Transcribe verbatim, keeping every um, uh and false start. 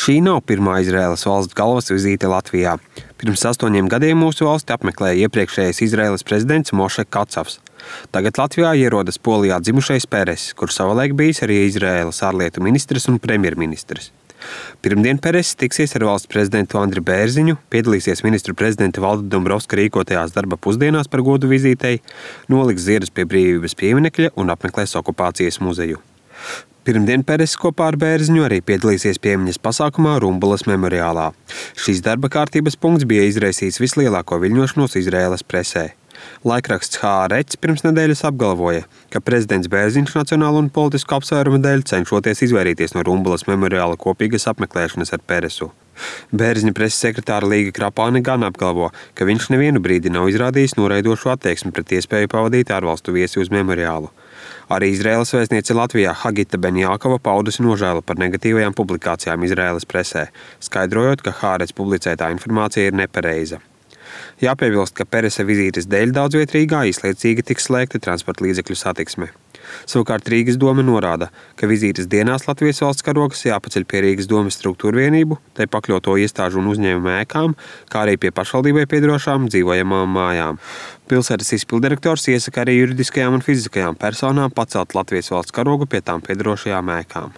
Šī nav pirmā Izraēlas valsts galvas vizīte Latvijā. Pirms astoņiem gadiem mūsu valsti apmeklēja iepriekšējais Izraēlas prezidents Moše Kacavs. Tagad Latvijā ierodas Polijā dzimušais Peresis, kurš savulaik bijis arī Izraēlas ārlietu ministrs un premjerministrs. Pirmdien Peresis tiksies ar valsts prezidentu Andri Bērziņu, piedalīsies ministru prezidenta Valda Dombrovska rīkotajās darba pusdienās par godu vizītei, noliks ziedus pie Brīvības pieminekļa un apmeklēs okupācijas muzeju. Pirmdien Peresis kopā ar Bērziņu arī piedalīsies piemiņas pasākumā Rumbulas memoriālā. Šīs darba kārtības punkts bija izraisījis vislielāko viļņošanos Izraēlas presē. Laikraksts Haaretz pirms nedēļas apgalvoja, ka prezidents Bērziņš nacionālu un politisku apsvērumu dēļ cenšoties izvairīties no Rumbulas memoriāla kopīgas apmeklēšanas ar Peresu. Bērziņa preses sekretāra Līga Krapāne gan apgalvo, ka viņš nevienu brīdi nav izrādījis noraidošu attieksmi pret iespēju pavadīt ārvalstu viesi uz memoriālu. Arī Izraēlas vēstniece Latvijā Hagita Benjākova paudusi nožēlu par negatīvajām publikācijām Izraēlas presē, skaidrojot, ka Haaretz publicētā informācija ir nepareiza. Jāpiebilst, ka Peresa vizītes dēļ daudz viet Rīgā īslaicīgi tiks slēgta transporta līdzekļu satiksme. Savukārt Rīgas doma norāda, ka vizītes dienās Latvijas valsts karogas jāpaceļ pie Rīgas domas struktūru vienību, tai pakļauto iestāžu un uzņēmumu ēkām, kā arī pie pašvaldībai piederošām dzīvojamām mājām. Pilsētas izpildirektors iesaka arī juridiskajām un fiziskajām personām pacelt Latvijas valsts karogu pie tām piederošajām ēkām.